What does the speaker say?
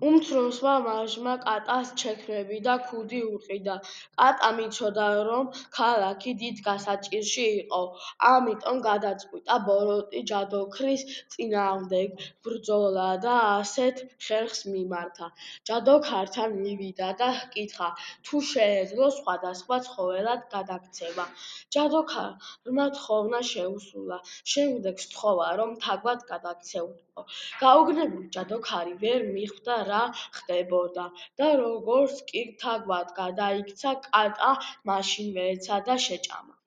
უმცროსმა ვაჟმა კატას ჩექმები და ქუდი უყიდა. კატამ იცოდა, რომ ქალაქი დიდ გასაჭირში იყო, ამიტომ გადაწყვიტა ბოროტი ჯადოქრის წინააღმდეგ ბრძოლა და ასეთ ხერხს მიმართა. ჯადოქართან მივიდა და ჰკითხა, თუ შეეძლო სხვადასხვა ცხოველად გადაქცევა. ჯადოქარმა თხოვნა შეუსრულა, შემდეგ სთხოვა, რომ თაგვად გადაქცეულიყო. გაუგნებელი ჯადოქარი ვერ მიხვდა, რა ხდებოდა და როგორც კი თაგვად გადაიქცა, კატა მაშინვე ეცა და შეჭამა.